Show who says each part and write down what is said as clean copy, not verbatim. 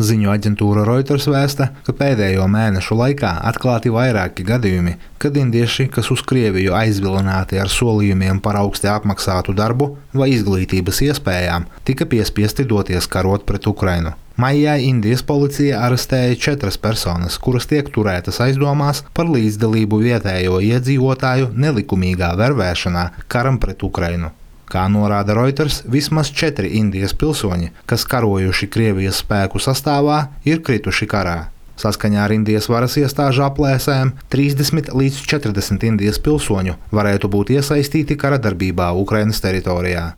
Speaker 1: Ziņu aģentūra Reuters vēsta, ka pēdējo mēnešu laikā atklāti vairāki gadījumi, kad indieši, kas uz Krieviju aizvilināti ar solījumiem par augsti apmaksātu darbu vai izglītības iespējām, tika piespiesti doties karot pret Ukrainu. Maijā Indijas policija arestēja 4 personas, kuras tiek turētas aizdomās par līdzdalību vietējo iedzīvotāju nelikumīgā vervēšanā karam pret Ukrainu. Kā norāda Reuters, vismaz 4 Indijas pilsoņi, kas karojuši Krievijas spēku sastāvā, ir krituši karā. Saskaņā ar Indijas varas iestāžu aplēsēm 30 līdz 40 Indijas pilsoņu varētu būt iesaistīti kara darbībā Ukrainas teritorijā.